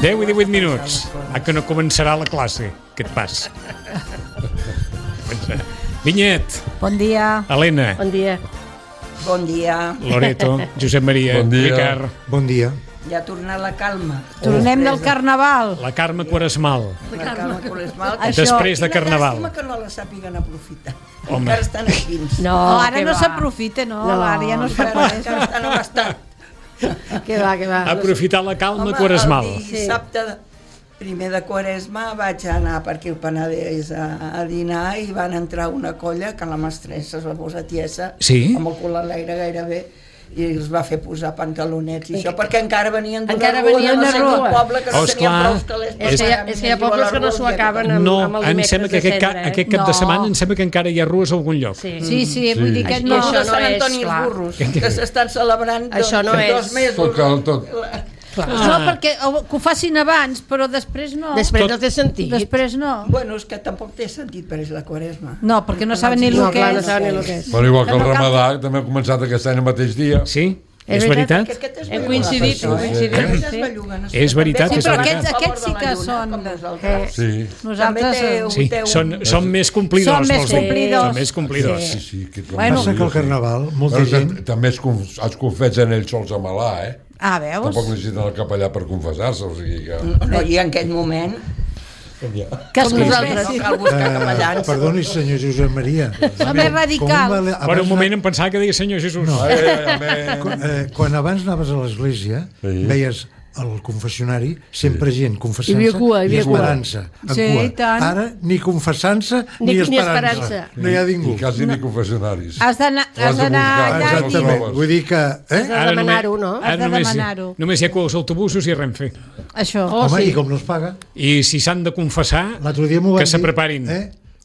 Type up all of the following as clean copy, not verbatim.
10 i 18 minuts. Que no començarà la classe, aquest pas. Vinyet. Bon dia. Helena. Bon dia. Bon dia. Loreto. Josep Maria. Bon dia. Ricard. Bon dia. Ja ha tornat la calma. Tornem del carnaval. La Carme Quaresmal. La calma Quaresmal. Després de carnaval. Quina llàstima que no la sàpiguen aprofitar. Home. Encara estan aquí. No, ara no s'aprofita, no. Ara ja no es fa res. Encara estan abastant. Que va. Aprofitar la calma Home, quaresmal. el dissabte primer de Quaresma vaig anar per aquí al Penedès a dinar i van entrar una colla que la mestressa es va posar tiesa, amb el cul a l'aire gairebé, i els va fer posar pantalonets i això, perquè encara venien d'una rua del poble que no tenien prou calés. És que hi ha pobles que no s'ho acaben amb el dimecres de cendre. Aquest cap de setmana em sembla que encara hi ha rues a algun lloc. Sí, vull dir que no, de Sant Antoni els burros, que s'estan celebrant 2 mesos. No, perquè que ho facin abans, però després no. Després no té sentit. Després no. Bueno, és que tampoc té sentit per la Quaresma. No, perquè no saben ni el que és. Però igual que el Ramadà, també ha començat aquest any el mateix dia. Sí? És veritat? Hem coincidit. És veritat. Sí, però aquests sí que són... Nosaltres... Són més complidors. Són més complidors. Passa que el Carnaval, molta gent... També els confessen ells sols a Malà, Ah, veus? Tampoc necessiten el capellà per confessar-se, o sigui que... No, i en aquell moment... Que nosaltres no cal buscar capellans. Perdoni, senyor Josep Maria. Som més radicals. Per un moment em pensava que deia senyor Jesús. Quan abans anaves a l'església, veies al confessionari sempre gent confessant-se i esperant-se. Ara ni confessant-se ni esperant-se. No hi ha ningú. I quasi ni confessionaris. Has d'anar allà i... Vull dir que... Has de demanar-ho, no? Has de demanar-ho. Només hi ha els autobusos i Renfe. Això. Home, i com no es paga? I si s'han de confessar, que se preparin.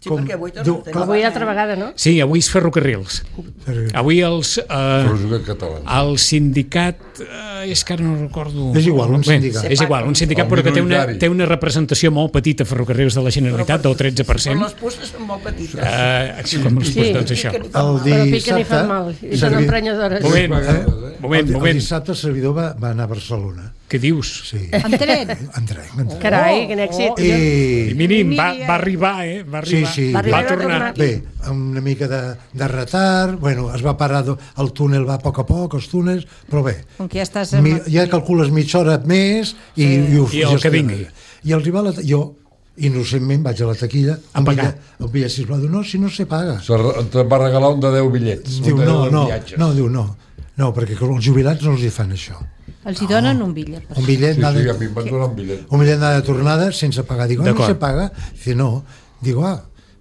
Sí, perquè avui altra vegada, no? Sí, avui és ferrocarrils. Avui el sindicat... És que ara no recordo... És igual, un sindicat. És igual, un sindicat, però que té una representació molt petita a Ferrocarrils de la Generalitat, del 13%. Però les pusses són molt petites. Com les pusses, doncs això. Però piquen i fan mal, i són emprenyadores. Moment. El dissabte el servidor va anar a Barcelona. Què dius? Sí. En tren? En tren. Carai, quin èxit. I mínim, va arribar, Va arribar. Sí. Va tornar. Bé, una mica de retard, bueno, es va parar, el túnel va a poc, els túnels, però bé, com que ja estàs... Ja calcules mitja hora més i el que vingui. I arribar jo, innocentment, vaig a la taquilla a pagar. El bitllet, sisplau, diu, no, si no se paga. Te'n va regalar un de 10 bitllets. Diu, no, perquè els jubilats no els hi fan això. Els hi donen un bitllet. Un bitllet, a mi em van donar un bitllet. Un bitllet de tornada sense pagar. Digo, no se paga. Dice, no. Digo,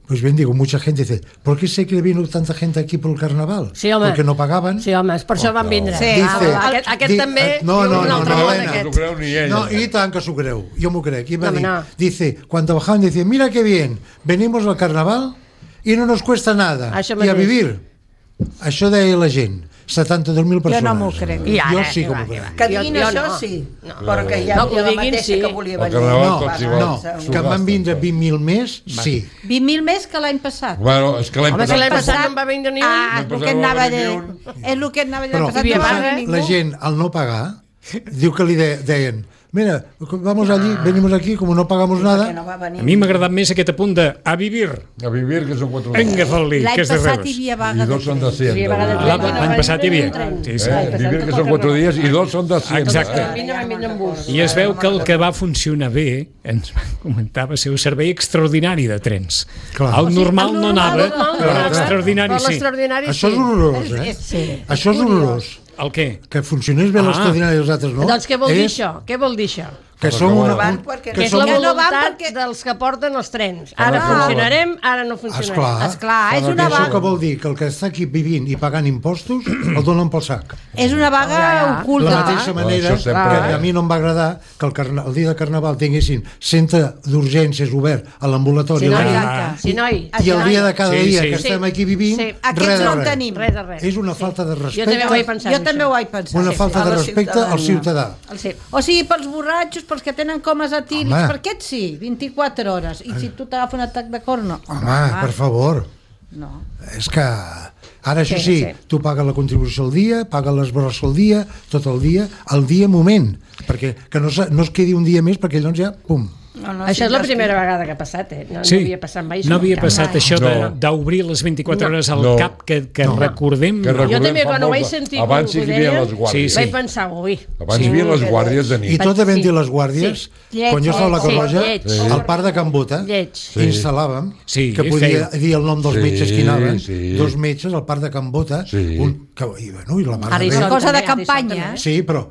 pues bien, mucha gente dice, ¿por qué sé que vino tanta gente aquí por el carnaval? Sí, home. Porque no pagaban. Sí, home, per això van vindre. Dice, aquest també... No, Helena. No s'ho creu ni ella. No, i tant que s'ho creu. Jo m'ho crec. Dice, cuando bajaban, dice, mira qué bien, venimos al carnaval y no nos cuesta nada. Y a vivir. Això deia la gent. 72.000 persones. Jo no m'ho crec. Jo sí que m'ho crec. Que diguin això, sí. Però que ja la mateixa que volia venir. No, que van vindre 20.000 més, sí. 20.000 més que l'any passat. Bueno, és que l'any passat no en va vindre ni un. És el que anava a dir. És el que anava a dir. Però la gent, al no pagar, diu que li deien, mira, vamos allí, venimos aquí, como no pagamos nada. A mi m'ha agradat més aquest apunt de a vivir. A vivir, que són 4 Venga, Foli, que és de L'any passat hi havia vaga de 200. L'any passat hi havia. Vivir, que són 4 dies, i 2 són de 100. Exacte. I es veu que el que va funcionar bé, ens va comentar, va ser un servei extraordinari de trens. El normal no anava, però l'extraordinari sí. Això és horrorós, Això és horrorós. El què? Que funcionés bé l'extraordinari i els altres no. Doncs què vol dir això? Què vol dir això? Que som una... Que és la voluntat dels que porten els trens. Ara funcionarem, ara no funcionarem. Esclar, és una vaga... Això que vol dir que el que està aquí vivint i pagant impostos el donen pel sac. És una vaga oculta. De la mateixa manera que a mi no em va agradar que el dia de Carnaval tinguessin centre d'urgències obert a l'ambulatori. Sí, noi. I el dia de cada dia que estem aquí vivint, aquests no en tenim. És una falta de respecte. Jo també ho vaig pensar. Una falta de respecte al ciutadà. O sigui, pels borratxos, pels que tenen comes etílics, per aquests sí, 24 hores. I si tu t'agafa un atac de cor, no. Home, per favor. No. És que Ara, això sí, tu pagues la contribució al dia, pagues les brossa al dia, tot el dia moment, perquè que no es quedi un dia més, perquè llavors ja, pum. Això és la primera vegada que ha passat, no havia passat mai. No havia passat això d'obrir les 24 hores al cap, que recordem... Jo també, quan ho vaig sentir, abans sí que hi havia les guàrdies. Vaig pensar, ui... Abans hi havia les guàrdies de nit. I tot havent-hi les guàrdies, quan jo estava a la Corroja, al parc de Can Bota, instal·làvem, que podia dir el nom dels metges que hi anaven, 2 metges al parc de Can Bota, i la mare... Ara és cosa de campanya. Sí, però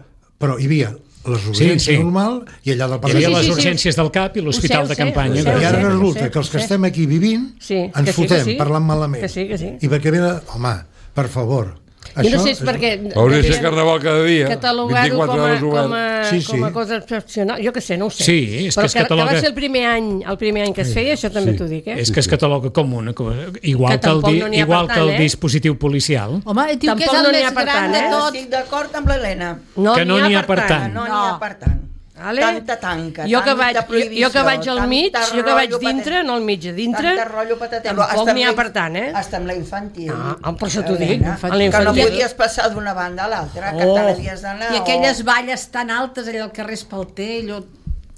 hi havia les urgències normal i allà del parc. Hi havia les urgències del CAP i l'hospital de campanya. I ara resulta que els que estem aquí vivint ens fotem parlant malament. I perquè ve, home, per favor. Jo no sé, és perquè... Hauria de ser carnaval cada dia, catalogar-ho com a cosa excepcional, jo què sé, no ho sé. Sí, és que es cataloga... Però que va ser el primer any que es feia, això també t'ho dic, És que es cataloga com una cosa, igual que el dispositiu policial. Home, diu que és el més gran de tot. Estic d'acord amb l'Helena. Que no n'hi ha per tant. No n'hi ha per tant. Tanta tanca, jo que vaig al mig, jo que vaig dintre, no al mig, a dintre, tampoc n'hi ha per tant, Hasta amb la infantil. Per això t'ho dic. Que no podies passar d'una banda a l'altra, que t'havies d'anar... I aquelles valles tan altes allà al carrer Espalter, allò...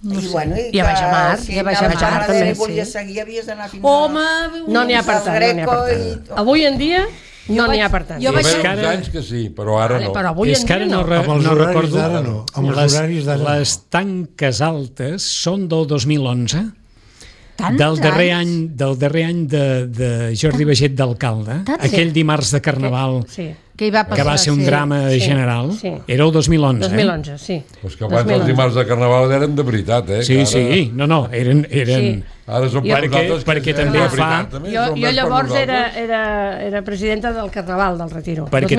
I a Baixamar, també. Si volies seguir, havies d'anar fins a... No n'hi ha per tant. Avui en dia... No n'hi ha per tant. Hi va haver uns anys que sí, però ara no. Però avui en dia no. Amb els horaris d'ara no. Amb els horaris d'ara no. Les tanques altes són del 2011, del darrer any de Jordi Baget d'alcalde, aquell dimarts de Carnaval que va ser un drama general, era el 2011. 2011, sí. Però que abans els dimarts de Carnaval eren de veritat, Sí, no, eren... Ara som perquè també fa... Jo llavors era presidenta del Carnaval del Retiro. Perquè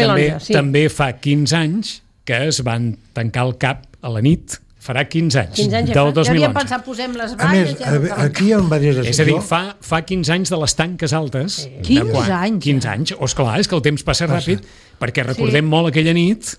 també fa 15 anys que es van tancar el CAP a la nit. Farà 15 anys, del 2011. Ja havíem pensat, posem les valles... A més, aquí hi ha diverses... És a dir, fa 15 anys de les tanques altes. 15 anys? 15 anys. Esclar, és que el temps passa ràpid, perquè recordem molt aquella nit,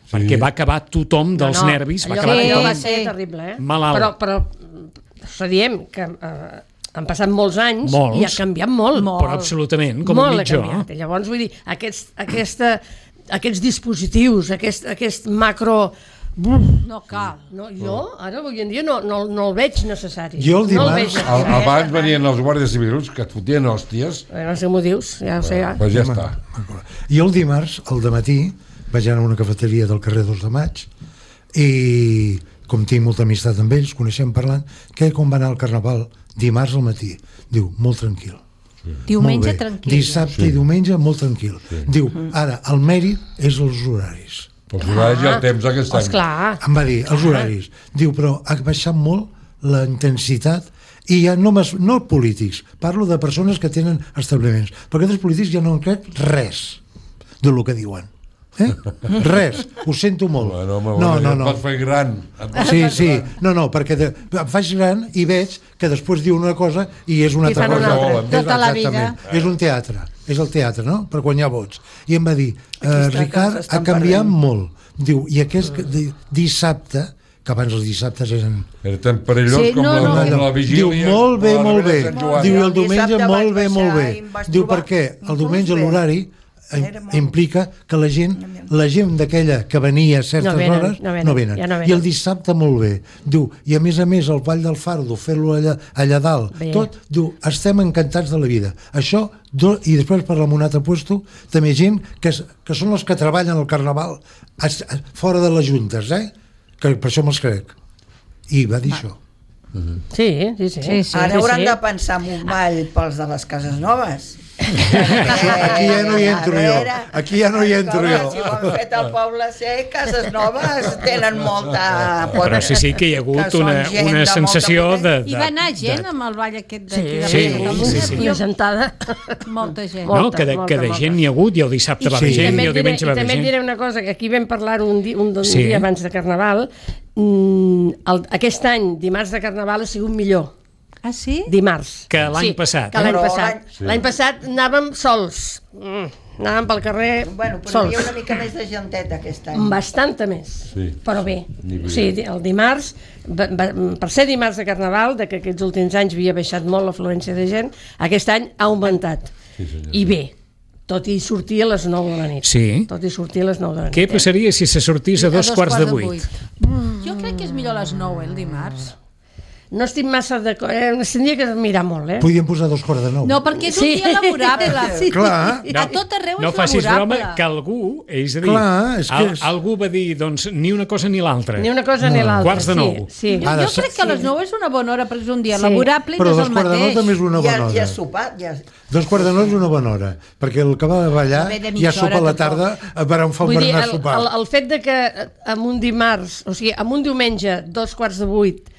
perquè va acabar tothom dels nervis, va acabar tothom... va ser terrible, malalt. Però diem que han passat molts anys i ha canviat molt. Però absolutament, com a mitjó. Llavors, vull dir, aquests dispositius, aquest macro... No cal. Jo, ara, avui en dia, no el veig necessari. Jo el dimarts... Abans venien els guàrdies civils que et fotien hòsties. No sé motius, ja ho sé. Pues ja està. Jo el dimarts, al dematí, vaig anar a una cafeteria del carrer 2 de Maig i, com tinc molta amistat amb ells, coneixem parlant, que com va anar al Carnaval dimarts al matí. Diu, molt tranquil. Diumenge tranquil. Dissabte i diumenge molt tranquil. Diu, ara, el mèrit és els horaris. Els horaris i el temps aquest any. Esclar. Em va dir, els horaris. Diu, però ha baixat molt la intensitat i ja no polítics, parlo de persones que tenen establiments, perquè els polítics ja no en crec res del que diuen. Res, ho sento molt. No. Et vas fer gran. Sí, no, perquè em faig gran i veig que després diu una cosa i és una altra cosa. Tota la vida. És un teatre, és el teatre, no? Per guanyar vots. I em va dir, Ricard, ha canviat molt. Diu, i aquest dissabte, que abans els dissabtes eren... Era tan perillós com la vigília. Diu, molt bé. Diu, el diumenge, molt bé. Diu, perquè el diumenge l'horari implica que la gent d'aquella que venia a certes hores no venen. I el dissabte molt bé. Diu, i a més el Vall del Fardo, fer-lo allà dalt, tot, diu, estem encantats de la vida. Això, i després parlar amb un altre puesto, també gent que són els que treballen al Carnaval fora de les juntes, que per això me'ls crec. I va dir això. Sí. Ara hauran de pensar en un ball pels de les cases noves. Aquí ja no hi entro jo. Si ho han fet al Poble Sec, cases noves tenen molta... Però sí que hi ha hagut una sensació de... Hi va anar gent amb el ball aquest d'aquí. Sí. Una gentada. Molta gent. No, que de gent n'hi ha hagut, i el dissabte va haver gent, i el diumenge va haver gent. I també et diré una cosa, que aquí vam parlar un dia abans de Carnaval. Aquest any, dimarts de Carnaval, ha sigut millor. Ah, sí? Dimarts. Que l'any passat. Que l'any passat. L'any passat anàvem sols. Anàvem pel carrer sols. Però hi havia una mica més de genteta aquest any. Bastanta més. Però bé. O sigui, el dimarts, per ser dimarts de Carnaval, que aquests últims anys havia baixat molt l'afluència de gent, aquest any ha augmentat. I bé. tot i sortir a les 9 de la nit. Sí. Tot i sortir a les 9 de la nit. Què passaria si se sortís a 7:45? Jo crec que és millor a les 9, el dimarts. No estic massa d'acord, s'hauria que mirar molt, Podríem posar 8:45. No, perquè és un dia laborable. Sí. Clar. A tot arreu és laborable. No facis broma que algú, és a dir, algú va dir, doncs, ni una cosa ni l'altra. Ni una cosa ni l'altra. 8:45. Sí. Jo crec que a les 9 és una bona hora, perquè és un dia laborable i no és el mateix. Però 2:45 també és una bona hora. Ja has sopat, ja... 2:45 és una bona hora, perquè el que va a ballar ja sopa a la tarda per on fa un berenar a sopar. El fet de que en un dimarts, o sigui, en un diumenge, 7:45,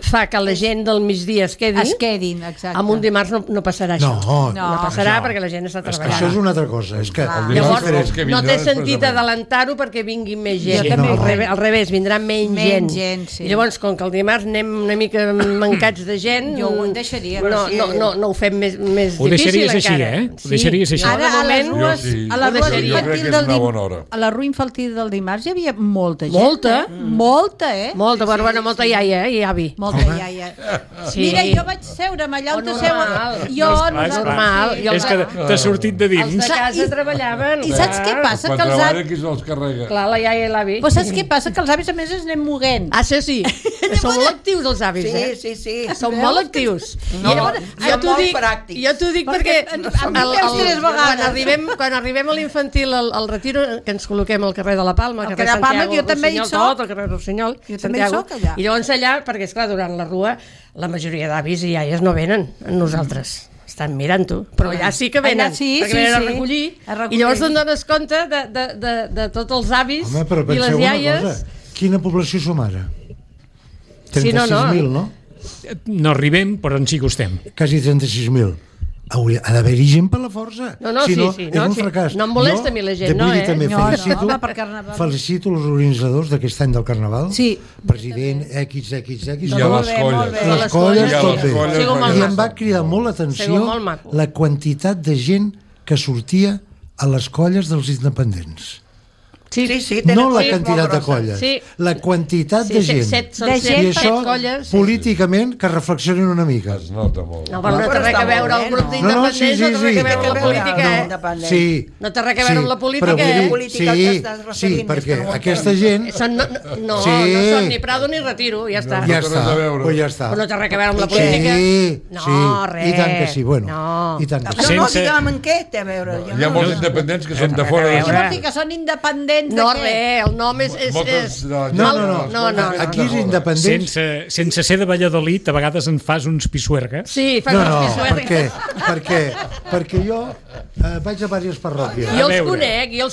fa que la gent del migdia es quedin, exacte. Amb un dimarts no passarà això. No passarà perquè la gent està treballant. Això és una altra cosa. És que llavors, no té sentit adelantar-ho perquè vingui més gent. Al revés, vindrà menys gent. I llavors, com que el dimarts anem una mica mancats de gent, jo ho deixaria. No ho fem més difícil encara. Ho deixaries així, Ho deixaries així. Ara, a la rua infantil del dimarts hi havia molta gent. Molta, Molta iaia i avi. Sí. Mira, jo vaig seure'm allà on normal. És que t'ha sortit de dins. Els de casa treballaven. I saps què passa? Quan treballen, qui se'ls carrega? Clar, la iaia i l'avi. Però saps què passa? Que els avis a més es anem moguent. Sí. Són molt actius els avis, Sí. Són molt actius. Jo t'ho dic perquè quan arribem a l'infantil, al retiro, que ens col·loquem al carrer de la Palma, al carrer Santiago, jo també hi soc. al carrer Rossinyol, Santiago. I llavors allà, perquè esclar, durant la rua, la majoria d'avis i iaies no venen amb nosaltres. Estan mirant-ho, però allà sí que venen, perquè venen a recollir, i llavors te'n dones compte de tots els avis i les iaies. Quina població som ara? 36.000, no? No arribem, però ens hi costem. Quasi 36.000. Ha d'haver-hi gent per la força. Sí. És un fracàs. No em molesta a mi la gent, Vull dir, també felicito els organitzadors d'aquest any del Carnaval. Sí. President, XX. I a les colles. Les colles, tot bé. I em va cridar molt l'atenció la quantitat de gent que sortia a les colles dels independents. Sí. No la quantitat de colles, la quantitat de gent. I això, políticament, que reflexionin una mica. Es nota molt. No té res a veure el grup d'independents, no té res a veure amb la política, No té res a veure amb la política, Sí, perquè aquesta gent... No són ni Prado ni Retiro, ja està. Ja està. Però no té res a veure amb la política. Sí, i tant que sí, bueno. No diguem en què té a veure. Hi ha molts independents que són de fora. Què vol dir que són independents? No, el nom és... No, aquí és independent. Sense ser de Valladolid, a vegades en fas uns pisuergues. Sí, fas uns pisuergues. Perquè jo vaig a diverses parròquies. Jo els conec. I no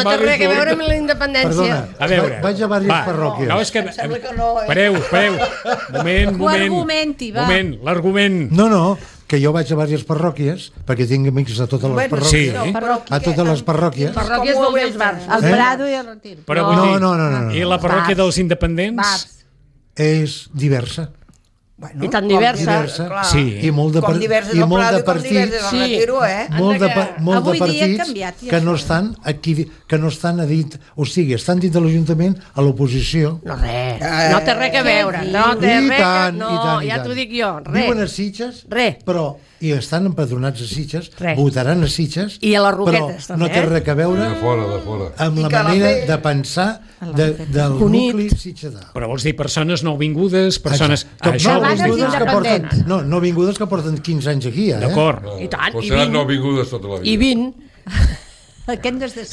té res a veure amb la independència. A veure, vaig a diverses parròquies. No, és que... Espereu. Moment, l'argument. No, que jo vaig a diverses parròquies, perquè tinc amics a totes les parròquies. A totes les parròquies. Parròquies vol dir els bars. El Prado i el Retiro. No. I la parròquia dels independents? És diversa. I tan diversa. I molt de com diverses del Prado i com diverses del Retiro, molt de partits que no estan aquí, que no estan a dit, o sigui, estan dins de l'Ajuntament a l'oposició. No té res a veure. Ja t'ho dic jo, res. Viuen a Sitges, però i estan empadronats a Sitges, votaran a Sitges, i a les Roquetes, però no té res a veure amb la manera de pensar del nucli sitgetà. Però vols dir persones nouvingudes, persones... No vingudes que porten 15 anys aquí, D'acord. I tant, i 20. Seran nouvingudes tota la vida. I 20.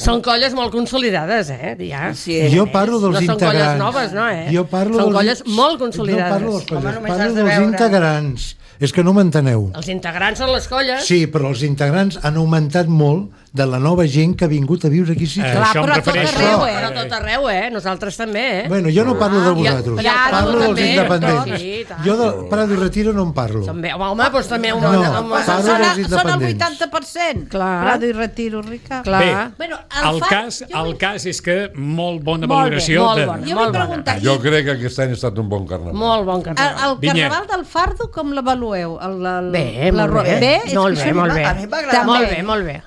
Són colles molt consolidades, Jo parlo dels integrants. No són colles noves, no, Són colles molt consolidades. No parlo dels colles, parlo dels integrants. És que no m'enteneu. Els integrants són les colles. Sí, però els integrants han augmentat molt de la nova gent que ha vingut a viure aquí. Però tot arreu, Però tot arreu, Nosaltres també, Bueno, jo no parlo de vosaltres. Parlo dels independents. Jo del Prado i Retiro no en parlo. Home, doncs també... Parlo dels independents. Són el 80%. Prado i Retiro, Rica. Bé, el cas és que molt bona valoració. Jo crec que aquest any ha estat un bon carnaval. Molt bon carnaval. El carnaval del Fardo com l'avalueu? Bé, molt bé.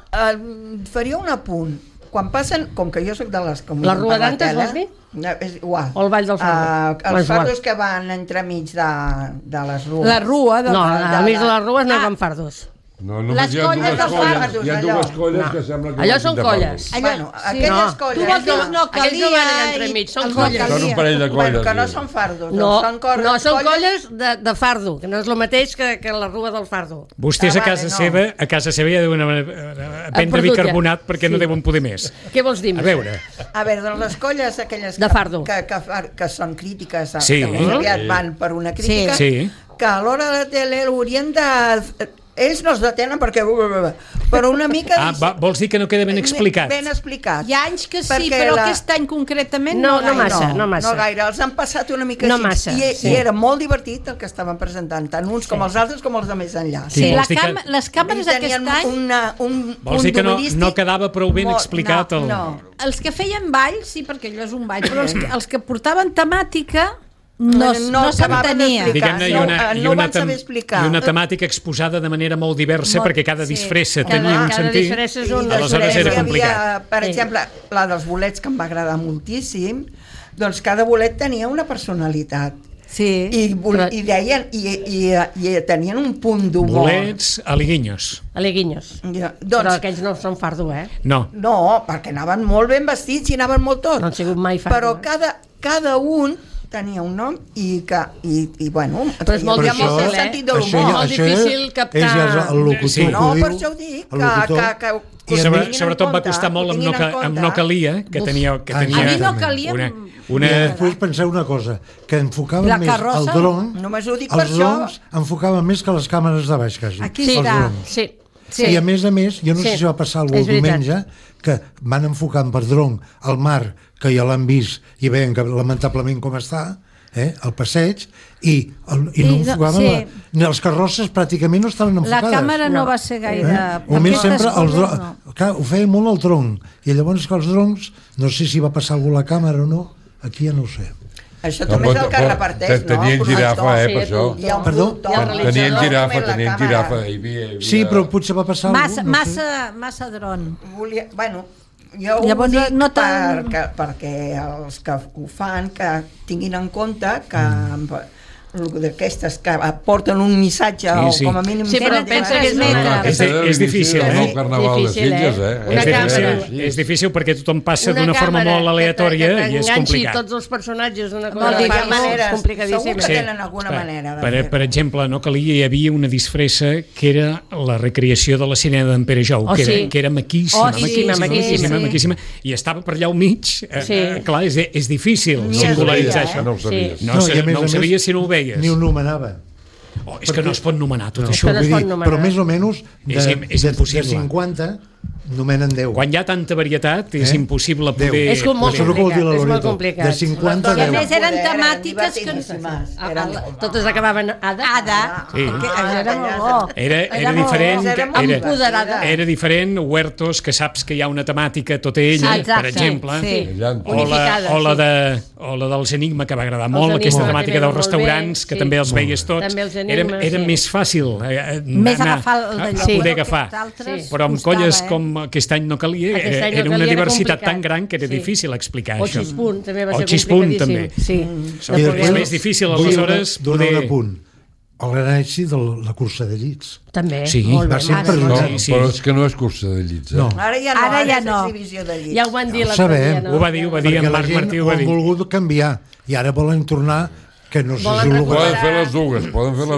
Faria un apunt. Quan passen, com que jo soc de les... La Rua d'Antes, vols dir? És igual. O el Vall del Fardo? Els fardos que van entremig de les rues. La rua. No, al mig de les rues no hi van fardos. No, només hi ha dues colles que sembla que... Allò són colles. Aquelles colles... Tu vols dir no calia... Aquells no van entremig, són colles. Són un parell de colles. Que no són fardos. No, són colles de fardo, que no és el mateix que la rua del fardo. Vostès a casa seva ja deuen prendre bicarbonat perquè no deuen poder més. Què vols dir? A veure, doncs les colles aquelles de fardo que són crítiques, que aviat van per una crítica, que a l'hora de la tele haurien de... Ells no es detenen perquè... Però una mica... vols dir que no queda ben explicat? Ben explicat. Hi ha anys que sí, però aquest any concretament no massa. No gaire, els han passat una mica així. I era molt divertit el que estaven presentant, tant uns com els altres com els de més enllà. Sí, les càmeres aquest any... Vols dir que no quedava prou ben explicat? No. Els que feien ball, sí, perquè allò és un ball, però els que portaven temàtica... No s'entenia. No van saber explicar. I una temàtica exposada de manera molt diversa, perquè cada disfressa tenia un sentit. Aleshores era complicat. Per exemple, la dels bolets, que em va agradar moltíssim, doncs cada bolet tenia una personalitat. Sí. I deien, i tenien un punt d'humor. Bolets, aliguinhos. Però aquells no són fardo, No, perquè anaven molt ben vestits i anaven molt tot. No han sigut mai fardo. Però cada un tenia un nom i bueno, però és molt difícil, sentit de l'humor. Molt difícil captar. No, per això ho dic, que sobretot va costar molt amb No calia, que tenia a mi No calia i després pensar una cosa, que enfocaven més el dron, els drons enfocaven més que les càmeres de baix, quasi. Aquí està. I a més, jo no sé si va passar alguna cosa diumenge, que van enfocant per dron el mar, que ja l'han vist i veien que lamentablement com està, el passeig, i no enfocaven ni les carrosses, pràcticament no estaven enfocades. La càmera no va ser gaire... Només sempre ho feia molt el dron, i llavors que els drons, no sé si va passar algú a la càmera o no, aquí ja no ho sé. Això també és el que reparteix, no? Tenien girafa, per això. Perdó? Tenien girafa. Sí, però potser va passar algú. Massa dron. Bueno, jo ho dic perquè els que ho fan que tinguin en compte que d'aquestes que porten un missatge o com a mínim... Sí, però pensa que és difícil, el carnaval de Sitges, és difícil perquè tothom passa d'una forma molt aleatòria i és complicat. Tots els personatges d'una cosa complicadíssima. Segur que tenen alguna manera. Per exemple, No calia, hi havia una disfressa que era la recreació de la sirena d'en Pere Jou, que era maquíssima, i estava per allà al mig. Clar, és difícil singularitzar això. No ho sabies. No ho sabies si no ho veies. Ni ho nomenava. És que no es pot nomenar tot això. Però més o menys és impossible. De 50 nomenen 10. Quan hi ha tanta varietat és impossible poder... És molt complicat. De 50 a 10. I a més eren temàtiques que... Totes acabaven Ada. Era molt bo. Era diferent. Empoderada. Era diferent Huertos, que saps que hi ha una temàtica tota ella, per exemple. O la dels Enigma, que va agradar molt, aquesta temàtica dels restaurants, que també els veies tots. Era més fàcil poder agafar. Però amb colles com aquest any No calia, era una diversitat tan gran que era difícil explicar això. O Xispunt també va ser complicadíssim. És més difícil aleshores donar un apunt. El gran èxit de la cursa de llits. També, molt bé. Però és que no és cursa de llits. Ara ja no. Ja ho van dir l'altre dia. Ho va dir, en Marc Martí ho va dir. Han volgut canviar i ara volen tornar que no sé si ho poden fer les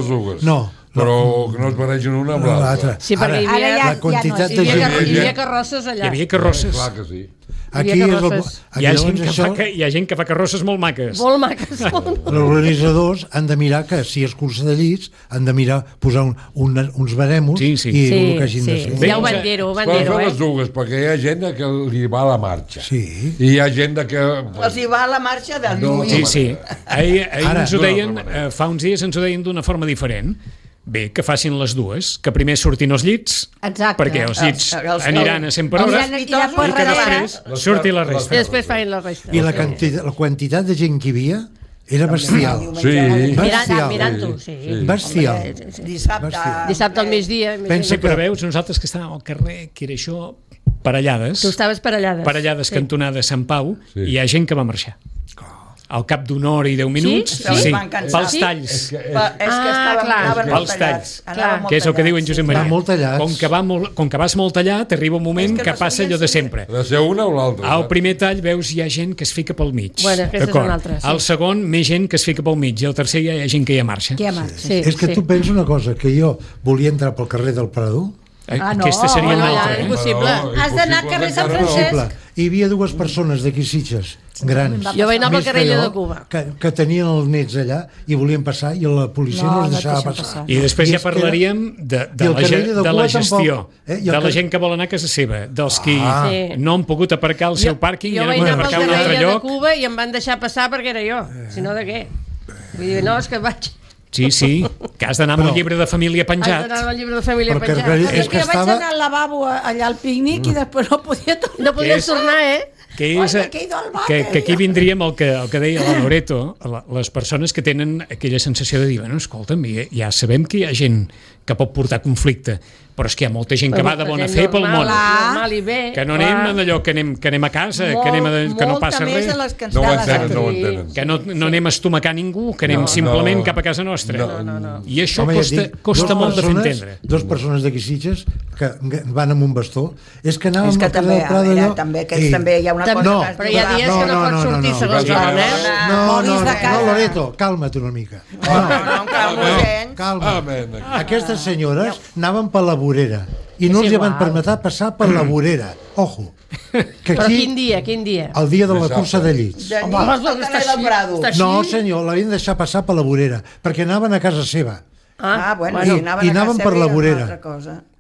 dues. No. Però que no es barregin una amb l'altra. Sí, perquè hi havia carrosses allà. Hi havia carrosses. Clar que sí. Aquí hi ha gent que fa carrosses molt maques. Molt maques. Els organitzadors han de mirar que si és cursa de llits han de mirar posar uns baremos i el que hagin de fer. Ja ho van dir-ho. Poden fer les dues, perquè hi ha gent que li va a la marxa. I hi ha gent que... Els hi va a la marxa de lluir. Sí. Ahir ens ho deien, fa uns dies ens ho deien d'una forma diferent. Bé, que facin les dues, que primer surtin els llits, perquè els llits aniran a 100 per hora, i que després surti la resta. I després fain la resta. I la quantitat de gent que hi havia era bestial. Mirant-ho, sí. Bestial. Dissabte al migdia. Sí, però veus, nosaltres que estàvem al carrer, que era això, Parellades. Tu estaves Parellades. Parellades, cantonada Sant Pau, i hi ha gent que va marxar. al cap d'una hora i 10 minuts, sí. Pels talls. És que anaven pels talls. Que és el que diu en Josep Maria. Com que vas molt tallat, arriba un moment que passa allò de sempre. Ha de ser una o l'altra. Al primer tall veus hi ha gent que es fica pel mig. Bueno, aquesta és una altra. Al segon, més gent que es fica pel mig. I al tercer hi ha gent que ja marxa. És que tu penses una cosa, que jo volia entrar pel carrer del Prado. Aquesta seria una altra. Impossible. Has d'anar al carrer Sant Francesc. Hi havia dues persones d'aquí Sitges, grans. Jo vaig anar pel carrer de Cuba. Que tenien els nets allà i volien passar i la policia no els deixava passar. I després ja parlaríem de la gestió, de la gent que vol anar a casa seva, dels qui no han pogut aparcar el seu pàrquing i han hagut d'aparcar un altre lloc. Jo vaig anar pel carrer de Cuba i em van deixar passar perquè era jo, si no de què? Vull dir, no, és que vaig... Sí, que has d'anar amb el llibre de família penjat. Has d'anar amb el llibre de família penjat. És que jo vaig anar al lavabo allà al pícnic i després no podia tornar. No podies tornar, que aquí vindríem el que deia la Loreto, les persones que tenen aquella sensació de dir, bueno, escolta'm, ja sabem que hi ha gent que pot portar conflicte, però és que hi ha molta gent que va de bona fe pel món, que no anem d'allò que anem a casa, que no passa res, no ho entenen, que no anem a estomacar ningú, que anem simplement cap a casa nostra, i això costa molt de fer entendre. Dos persones d'aquí Sitges que van amb un bastó, és que anàvem a casa del Prado allò... També hi ha una cosa... Però hi ha dies que no pots sortir segons l'hora, No, Loreto, calma't una mica. Calma. Aquestes senyores anaven per la vorera i no els van permetre passar per la vorera. Ojo. Però quin dia? El dia de la cursa de llits. No, senyor, l'havien de deixar passar per la vorera perquè anaven a casa seva. I anaven per la vorera.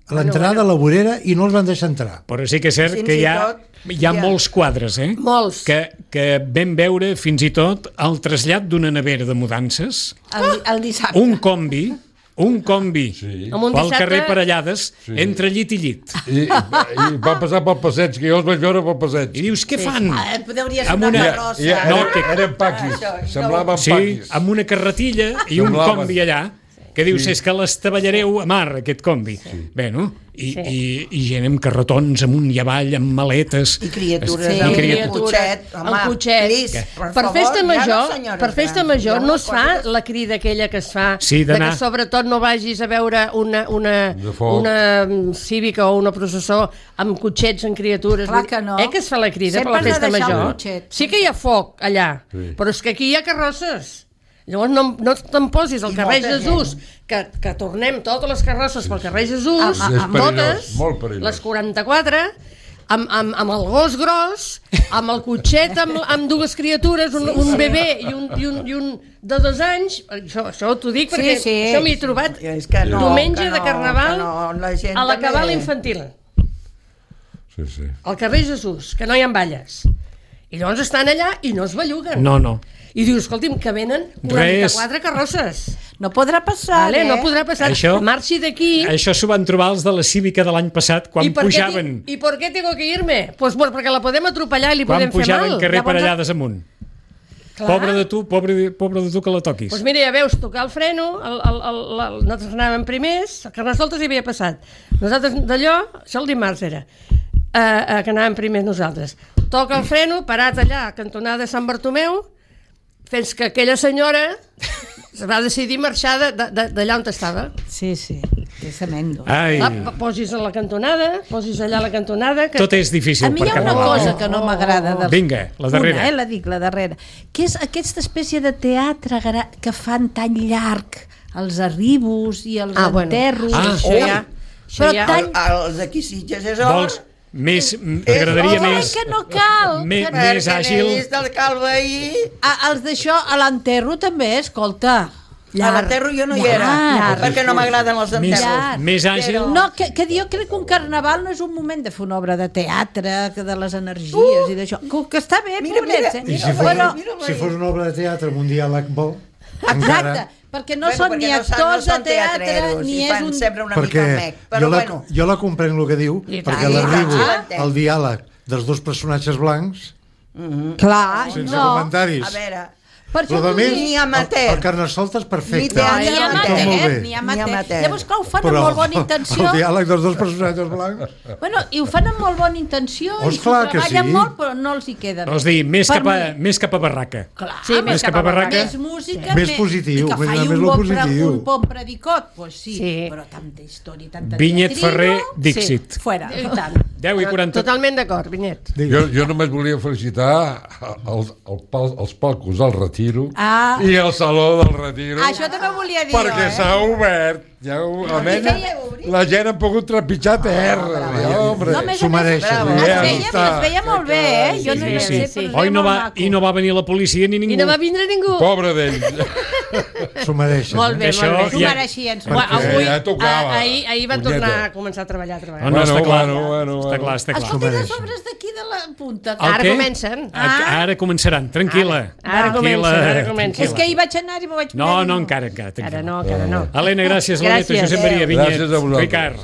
A l'entrada a la vorera i no els van deixar entrar. Però sí que és cert que hi ha molts quadres, molts, que vam veure fins i tot el trasllat d'una nevera de mudances, el dissabte, un combi pel carrer Parellades, entre llit i llit. I va passar pel passeig, que jo els vaig veure pel passeig. I dius, què fan? Podria ser una carrossa. Eren paquis, semblaven paquis. Sí, amb una carretilla i un combi allà, que dius, és que l'estavellareu a mar, aquest combi. Bé, no? I gent amb carretons amunt i avall, amb maletes. I criatures, el cotxet. Per festa major no es fa la crida aquella que es fa, que sobretot no vagis a veure una cívica o una processó amb cotxets, amb criatures. Clar que no. Que es fa la crida per la festa major. Sí que hi ha foc allà, però és que aquí hi ha carrosses. Llavors no te'n posis al carrer Jesús, que tornem totes les carrosses pel carrer Jesús, totes, les 44, amb el gos gros, amb el cotxet amb dues criatures, un bebè i un de 2 anys, això t'ho dic perquè això m'hi he trobat diumenge de Carnaval a la cabala infantil. Al carrer Jesús, que no hi ha balles. I llavors estan allà i no es belluguen. No. I dius, escolti'm, que venen 44 carrosses. No podrà passar, No podrà passar. Marxi d'aquí. Això s'ho van trobar els de la Cívica de l'any passat, quan pujaven... ¿Y por qué tengo que irme? Pues porque la podem atropellar i li podem fer mal. Quan pujaven carrer Parellades amunt. Pobre de tu que la toquis. Doncs mira, ja veus, tocar el freno, nosaltres anàvem primers, el Carnestoltes hi havia passat. Nosaltres d'allò, això el dimarts era, que anàvem primers nosaltres. Toca el freno, parat allà, cantonada de Sant Bartomeu, fins que aquella senyora va decidir marxar d'allà on estava. Sí, que és tremendo. Posis a la cantonada, posis allà a la cantonada... Tot és difícil per Carnaval. A mi hi ha una cosa que no m'agrada. Vinga, la darrera. La darrera. Que és aquesta espècie de teatre que fan tan llarg, els arribos i els enterros. Però els d'aquí Sitges és hora. M'agradaria més... que no cal. Més àgil. Els d'això, a l'enterro també, escolta. A l'enterro jo no hi era, perquè no m'agraden els enterros. Més àgil. No, que jo crec que un carnaval no és un moment de fer una obra de teatre, de les energies i d'això. Que està bé, pobrets. I si fos una obra de teatre amb un diàleg bo... Exacte. Perquè no són ni actors de teatre ni és un... Perquè jo la comprenc el que diu, perquè l'arribo al diàleg dels dos personatges blancs clar, sense comentaris. A veure, Ni amateur. El Carnestoltes perfecte. Ni amateur. Llavors, clar, ho fan amb molt bona intenció. El diàleg dels dos personatges blancs. Bueno, i ho fan amb molt bona intenció, i s'ho treballen molt, però no els hi queda bé. Vols dir, més cap a barraca. Clar, més cap a barraca. Més música, més positiu. I que faci un bon predicot, doncs sí, però tanta història, tanta teatrino. Vinyet Ferrer, Dixit. Fuera, i tant. 10:40. Totalment d'acord, Vinyet. Jo només volia felicitar els palcos del Retiro i el Saló del Retiro. Això també volia dir. Perquè s'ha obert. La gent ha pogut trepitjar terra. S'ho mereixen. Es veia molt bé, Jo no hi sé. I no va venir la policia ni ningú. I no va vindre ningú. Pobre d'ells. S'ho mereixen. Molt bé, s'ho mereixien. Ahir va tornar a començar a treballar. Està clar. Escolta, les obres d'aquí de la punta. Ara comencen. Ara començaran, tranquil·la. Ara comencen. És que ahir vaig anar i m'ho vaig... No, encara. Encara no. Helena, gràcies. Josep Maria Vinyet, Ricard.